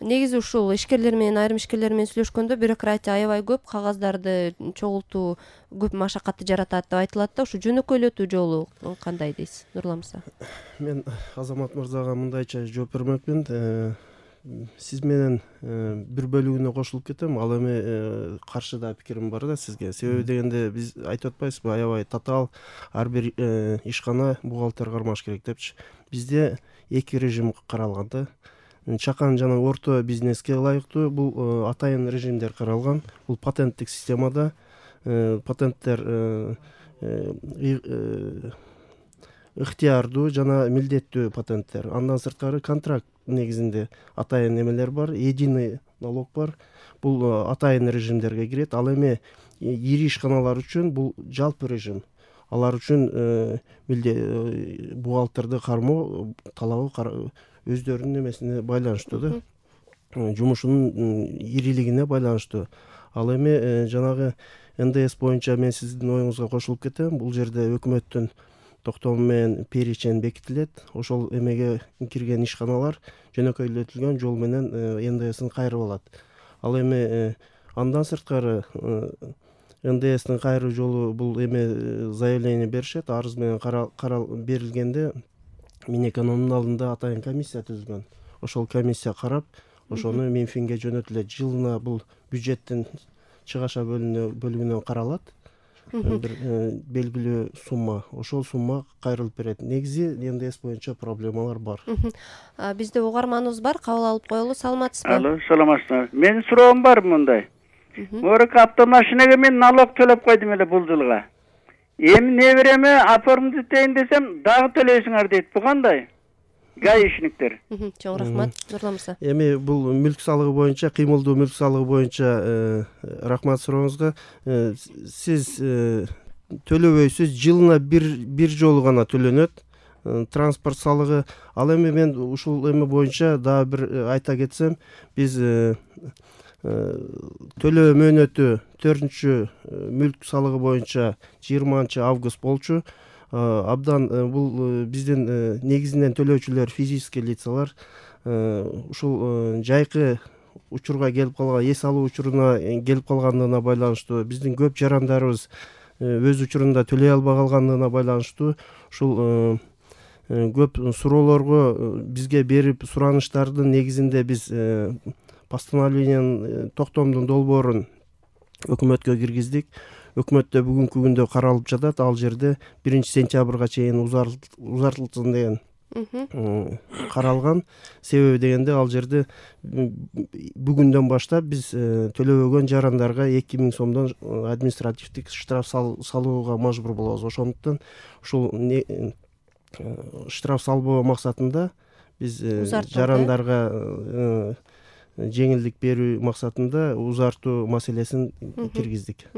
Негизи ушул ишкерлер менен айрым ишкерлер менен сүйлөшкөндө бюрократия аябай көп, кагаздарды чогултуу көп машакатты жаратат деп айтылат да, ушу жөнөкөйлөтүү жолу кандай дейсиз, Нурлан мырза? Мен Азамат мырзага мындайча жооп бермекмин. Сиз менен бир бөлүгүнө кошулуп кетем. Ал эми каршы да пикирим бар да сизге. Себеби дегенде биз айтып атпайсызбы, аябай татаал ар бир ишкана бухгалтер кармаш керек депчи. Бизде эки режим каралган да. Чакан жана орто бизнеске ылайыктуу бул атайын режимдер каралган. Бул патенттик системада патенттер ыктыярдуу жана милдеттүү патенттер. Андан сырткары контракт негизинде атайын эмелер бар, единый налог бар. Бул атайын режимдерге кирет. Ал эми ири ишканалар үчүн бул жалпы режим. Алар үчүн бухгалтерди кармоо талабы өздөрүнүн эмесине байланыштуу да, жумушунун ирилигине байланыштуу. Ал эми жанагы НДС боюнча мен сиздин оюңузга кошулуп кетем. Бул жерде өкмөттүн токтому менен перечень бекитилет. Ошол эмеге кирген ишканалар жөнөкөйлөтүлгөн жол менен НДСин кайрып алат. Ал эми андан сырткары НДСтин кайруу жолу бул эме заявление беришет. Арыз менен берилгенде Минэкономдун алдында атайын комиссия түзүлгөн. Ошол комиссия карап, ошону Минфинге жөнөтүлөт. Жылына бул бюджеттин чыгаша бөлүгүнөн каралат. Бир белгилүү сумма. Ошол сумма кайрылып берет. Негизи НДС боюнча проблемалар бар. Бизде угарманыбыз бар, кабыл алып коелу. Саламатсызбы? Алло, саламатсызбы. Менин суроом бар мындай. Мурак автомашинеге мен налог төлөп койдум эле бул жылга. Эми небереме оформдетейин десем, дагы төлөйсүңөр дейт. Бу кандай? Гаишниктер. Чоң рахмат, Нурлан мырза. Эми бул мүлк салыгы боюнча, кыймылдуу мүлк салыгы боюнча рахмат сурооңузга. Сиз төлөбөйсүз, жылына бир жолу гана төлөнөт транспорт салыгы. Ал эми мен ушул эме боюнча дагы бир айта кетсем, биз төлөө мөөнөтү 4-мүлк салыгы боюнча 20 август болчу. Абдан бул биздин негизинен төлөөчүлөр физический лицалар. Ушул жайкы учурга келип калган, эс алуу учуруна келип калгандыгына байланыштуу, биздин көп жарандарыбыз өз учурунда төлөй албай калгандыгына байланыштуу ушул көп суроолорго бизге берип сураныштардын негизинде биз постановлениянын токтомдун долбоорун өкмөткө киргиздик. Өкмөттө бүгүнкү күндө каралып жатат. Ал жерде 1-сентябрга чейин узартылсын деген каралган. Себеби дегенде ал жерде бүгүндөн баштап биз төлөбөгөн жарандарга 2000 сомдон административдик штраф салууга мажбур болобуз. Ошондуктан ушул штраф салбоо максатында биз жарандарга жеңилдик берүү максатында узартуу маселесин киргиздик.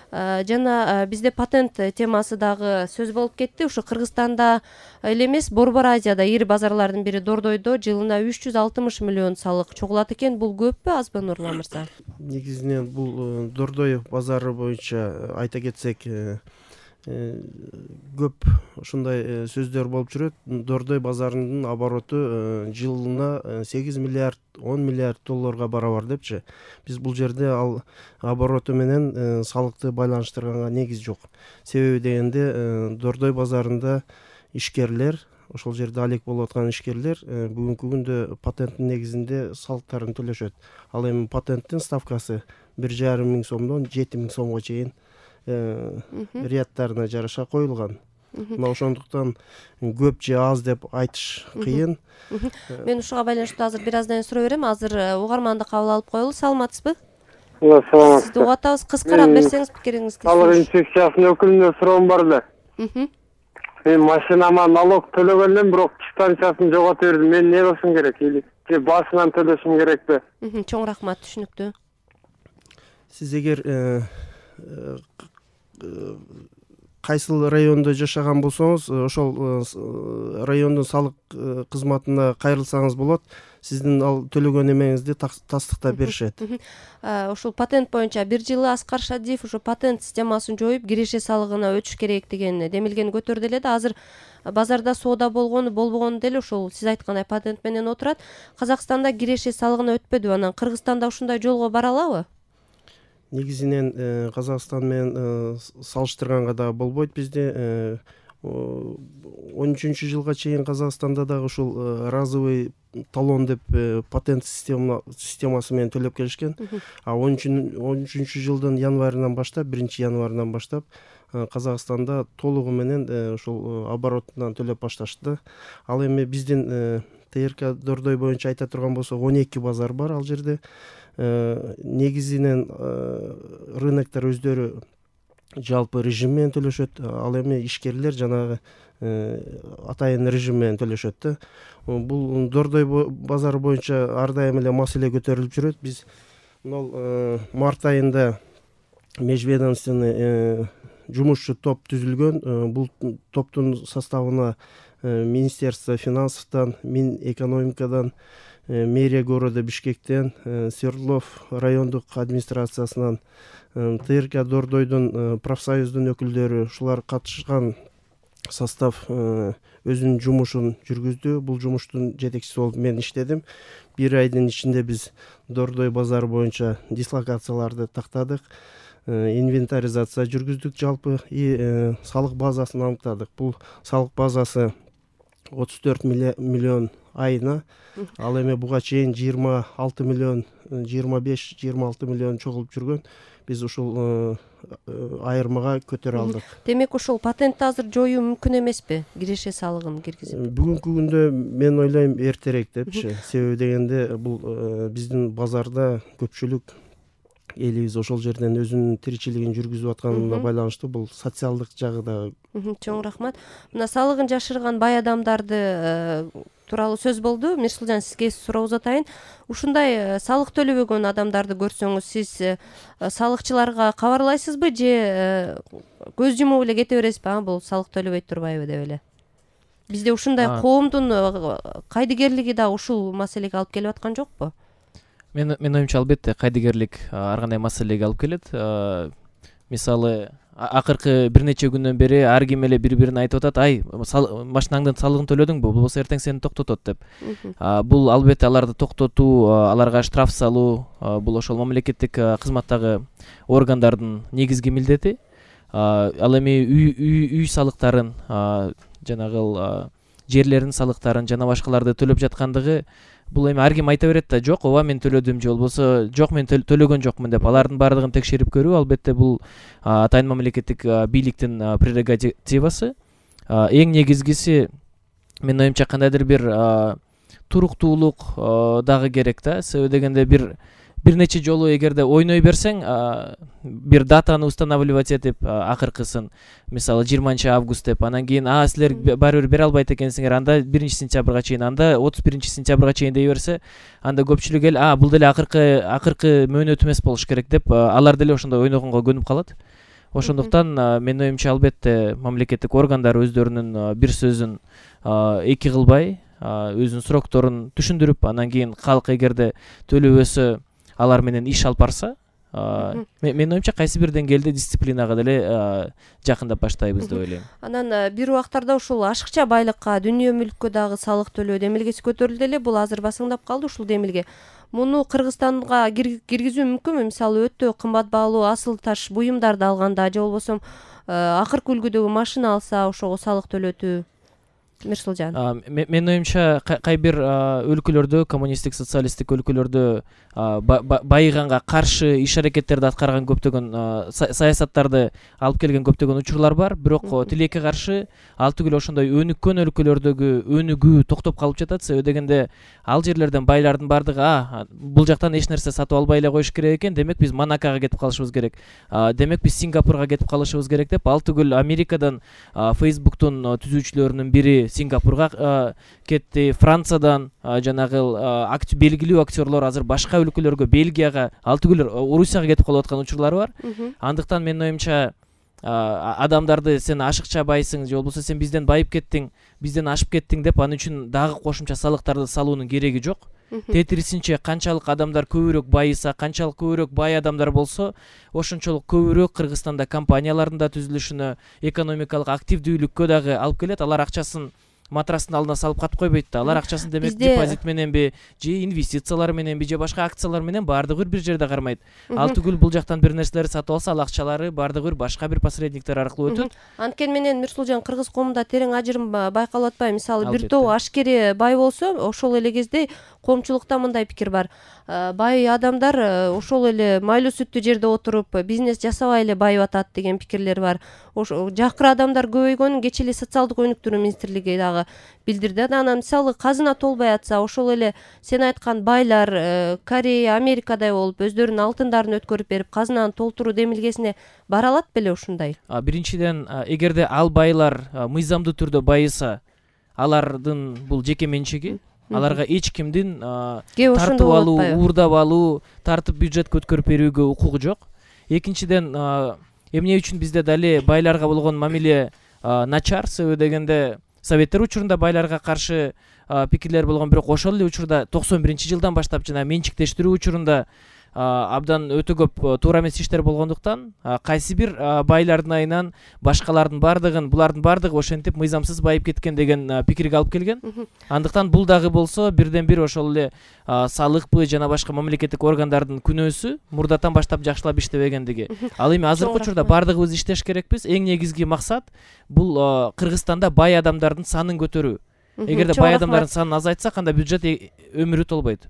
Жана бизде патент темасы дагы сөз болуп кетти. Ушу Кыргызстанда эле эмес, Борбор Азияда ири базарлардын бири Дордойдо жылына 360 миллион салык чогулат экен. Бул көппү, азбы, Нурлан мырза? Негизинен бул Дордой базары боюнча айта кетсек, көп ушундай сөздөр болуп жүрөт. Дордой базарынын обороту жылына 8 миллиард 10 миллиард долларга барабар депчи. Биз бул жерде ал обороту менен салыкты байланыштырганга негиз жок. Себеби дегенде Дордой базарында ишкерлер, ошол жерде алек болуп аткан ишкерлер бүгүнкү күндө патенттин негизинде салыктарын төлөшөт. Ал эми патенттин ставкасы 1,5 миң сомдон 7 миң сомго чейин ряттарына жараша коюлган. Мына ошондуктан көп же аз деп айтыш кыйын. Мен ушуга байланыштуу азыр бир аздан суроо берем. Азыр угарманды кабыл алып коелу. Саламатсызбы? Саламат. Сизди угуп атабыз. Кыскараак берсеңиз пикириңизди. Салык инспекциясынын өкүлүнө суроом бар эле. Мен машинама налог төлөгөндөн бирок дистанциясын жоготуп бердим. Мен не кылышым керек? Или башынан төлөшүм керекпи? Чоң рахмат, түшүнүктүү. Сиз эгер кайсыл райондо жашаган болсоңуз ошол райондун салык кызматына кайрылсаңыз болот, сиздин ал төлөгөн эмеңизди тастыктап беришет. Ушул патент боюнча бир жылы Аскар Шадиев ушу патент системасын жоюп киреше салыгына өтүш керек деген демилгени көтөрдү эле да. Азыр базарда соода болгону болбогону деле ушул сиз айткандай патент менен отурат. Казакстанда киреше салыгына өтпөдүбү, анан Кыргызстанда ушундай жолго бара алабы? Негизинен Казакстан менен салыштырганга да болбойт. Бизде 13-жылга чейин Казакстанда дагы ушул разовый талон деп патент системасы менен төлөп келишкен. А 13-жылдын январынан баштап, 1-январынан баштап Казакстанда толугу менен ушул оборотунан төлөп башташты. Ал эми биздин ТРК Дордой боюнча айта турган болсок 12 базар бар ал жерде. Негизинен рыноктор өздөрү жалпы режим менен төлөшөт. Ал эми ишкерлер жанагы атайын режим менен төлөшөт да. Бул Дордой базары боюнча ар дайым эле маселе көтөрүлүп жүрөт. Биз март айында межведомственный жумушчу топ түзүлгөн. Бул топтун составына Министерство финансовтан, Минэкономикадан, мэрия города Бишкектен, Свердлов райондук администрациясынан, ТРК Дордойдун профсоюздун өкүлдөрү ушулар катышкан состав өзүнүн жумушун жүргүздү. Бул жумуштун жетекчиси болуп мен иштедим. 1 айдын ичинде биз Дордой базары боюнча дислокацияларды тактадык, инвентаризация жүргүздүк жалпы и салык базасын аныктадык. Бул салык базасы 34 миллион айына. Ал эми буга чейин 26 миллион, 25-26 миллион чогулуп жүргөн. Биз ушул айырмага көтөрө алдык. Демек ушул патентти азыр жоюу мүмкүн эмеспи? Киреше салыгын киргизип. Бүгүнкү күндө мен ойлойм эртерээк депчи. Себеби дегенде бул биздин базарда көпчүлүк элибиз ошол жерден өзүнүн тиричилигин жүргүзүп атканына байланыштуу. Бул социалдык жагы да. Чоң рахмат. Мына салыгын жашырган бай адамдарды тууралуу сөз болду. Мирсулжан, сизге суроо узатайын. Ушундай салык төлөбөгөн адамдарды көрсөңүз, сиз салыкчыларга кабарлайсызбы же көз жумуп эле кете бересизби? Бул салык төлөбөй турбайбы деп эле. Бизде ушундай коомдун кайдыгерлиги да ушул маселеге алып келип аткан жокпу? Мен оюмча албетте кайдыгерлик ар кандай маселеге алып келет. Мисалы, акыркы бир нече күндөн бери ар ким эле бири-бирине айтып атат: "Ай, машинаңдын салыгын төлөдүңбү? Болбосо эртең сени токтотот" деп. Бул албетте аларды токтотуу, аларга штраф салуу, бул ошол мамлекеттик кызматтагы органдардын негизги милдети. Ал эми үй салыктарын, жанагы жерлердин салыктарын жана башкаларды төлөп жаткандыгы, бул эми ар ким айта берет да: "Жок, ооба мен төлөдүм" же болбосо "Жок, мен төлөгөн жокмун" деп. Алардын баардыгын текшерип көрүү албетте бул атайын мамлекеттик бийликтин прерогативасы. Эң негизгиси, мен оюмча, кандайдыр бир туруктуулук дагы керек да. Себеби дегенде бир нече жолу эгерде ойной берсең, бир датаны устанавливать этип, акыркысын, мисалы 20-август деп, анан кийин силер баары бир бере албайт экенсиңер, анда 1-сентябрга чейин, анда 31-сентябрга чейин дей берсе, анда көпчүлүк эл бул деле акыркы мөөнөт эмес болуш керек деп, алар деле ошондой ойногонго көнүп калат. Ошондуктан мен оюмча албетте мамлекеттик органдар өздөрүнүн бир сөзүн эки кылбай, өзүнүн срокторун түшүндүрүп, анан кийин калк эгерде төлөбөсө алар менен иш алып барса, мен оюмча кайсы бир деңгээлде дисциплинага деле жакындап баштайбыз деп ойлойм. Анан бир убактарда ушул ашыкча байлыкка, дүнүйө мүлккө дагы салык төлөө демилгеси көтөрүлдү эле. Бул азыр басыңдап калды ушул демилге. Муну Кыргызстанга киргизүү мүмкүнбү? Мисалы, өтө кымбат баалуу асыл таш буюмдарды алганда же болбосо акыркы үлгүдөгү машина алса ошого салык төлөтүү. Мирсулжан. Мен оюмча кайбир өлкөлөрдө, коммунисттик, социалисттик өлкөлөрдө байыганга каршы иш аракеттерди аткарган көптөгөн саясаттарды алып келген көптөгөн учурлар бар. Бирок тилекке каршы ал түгүл ошондой өнүккөн өлкөлөрдөгү өнүгүү токтоп калып жатат. Себеби дегенде ал жерлерден байлардын баардыгы бул жактан эч нерсе сатып албай эле коюш керек экен, демек биз Монакого кетип калышыбыз керек, демек биз Сингапурга кетип калышыбыз керек деп, ал түгүл Америкадан Facebooktун түзүүчүлөрүнүн бири Сингапурга кетти, Франциядан жанагы белгилүү актерлор азыр башка өлкөлөргө, Бельгияга, ал түгүл Орусияга кетип калып аткан учурлар бар. Андыктан мен оюмча адамдарды сен ашыкча байсың же болбосо сен бизден байып кеттиң, бизден ашып кеттиң деп анын үчүн дагы кошумча салыктарды салуунун кереги жок. Тетирисинче канчалык адамдар көбүрөөк байыса, канчалык көбүрөөк бай адамдар болсо, ошончолук көбүрөөк Кыргызстанда компаниялардын да түзүлүшүнө, экономикалык активдүүлүккө дагы алып келет. Алар акчасын матрастын алдына салып катып койбойт да. Алар акчасын демек депозит мененби же инвестициялар мененби же башка акциялар менен баардыгы бир жерде кармайт. Ал түгүл бул жактан бир нерселерди сатып алса, ал акчалары баардыгы башка бир посредниктер аркылуу өтөт. Анткени менен Мирсулжан, кыргыз коомунда терең ажырым байкалып атпайбы? Мисалы бир топ ашкери бай болсо, ошол эле кезде коомчулукта мындай пикир бар. Бай адамдар ошол эле майлуу сүттүү жерде отуруп бизнес жасабай эле байып атат деген пикирлер бар. Жакыр адамдар көбөйгөнүн кечээ эле социалдык өнүктүрүү министрлиги дагы билдирди. Анан мисалы казына толбой атса, ошол эле сен айткан байлар Корея, Америкадай болуп өздөрүнүн алтындарын өткөрүп берип казынаны толтуруу демилгесине бара алат беле ушундай? Биринчиден, эгерде ал байлар мыйзамдуу түрдө байыса, алардын бул жеке менчиги. Аларга эч кимдин тартып алуу, уурдап алуу, тартып бюджетке өткөрүп берүүгө укугу жок. Экинчиден, эмне үчүн бизде дали байларга болгон мамиле начар? Себеби дегенде советтер учурунда байларга каршы пикирлер болгон, бирок ошол эле учурда 91-жылдан баштап жана менчиктештирүү учурунда абдан өтө көп туура эмес иштер болгондуктан кайсы бир байлардын айынан башкалардын баардыгын, булардын баардыгы ошентип мыйзамсыз байып кеткен деген пикирге алып келген. Андыктан бул дагы болсо бирден бир ошол эле салыкпы жана башка мамлекеттик органдардын күнөөсү, мурдатан баштап жакшылап иштебегендиги. Ал эми азыркы учурда баардыгыбыз иштеш керекпиз. Эң негизги максат бул Кыргызстанда бай адамдардын санын көтөрүү. Эгерде бай адамдардын санын азайтсак, анда бюджет өмүрү толбойт.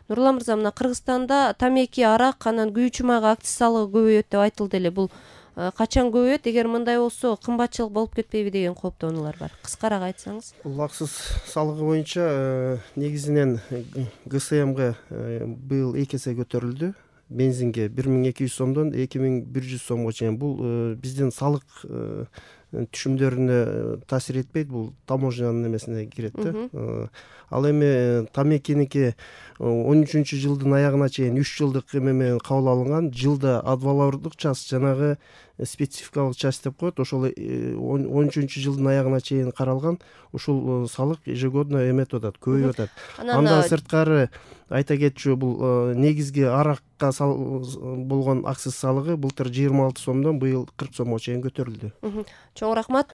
Нурлан мырза, мына Кыргызстанда тамеки, арак, анан күйүүчү майга акциз салыгы көбөйөт деп айтылды эле. Бул качан көбөйөт? Эгер мындай болсо кымбатчылык болуп кетпейби деген кооптонуулар бар. Кыскараак айтсаңыз. Бул акциз салыгы боюнча негизинен ГСМга быйыл 2 эсе көтөрүлдү. Бензинге 1200 сомдон 2100 сомго чейин. Бул биздин салык түшүмдөрүнө таасир этпейт, бул таможнянын эмесине кирет да. Ал эми тамекиники 13-жылдын аягына чейин 3 жылдык эме менен кабыл алынган. Жылда адвалордук час, жанагы спецификалык часть деп коет. Ошол 13-жылдын аягына чейин каралган. Ушул салык ежегодно эметип атат, көбөйүп атат. Андан сырткары айта кетчү, бул негизги аракка болгон акциз салыгы былтыр 26 сомдон быйыл 40 сомго чейин көтөрүлдү. Чоң рахмат.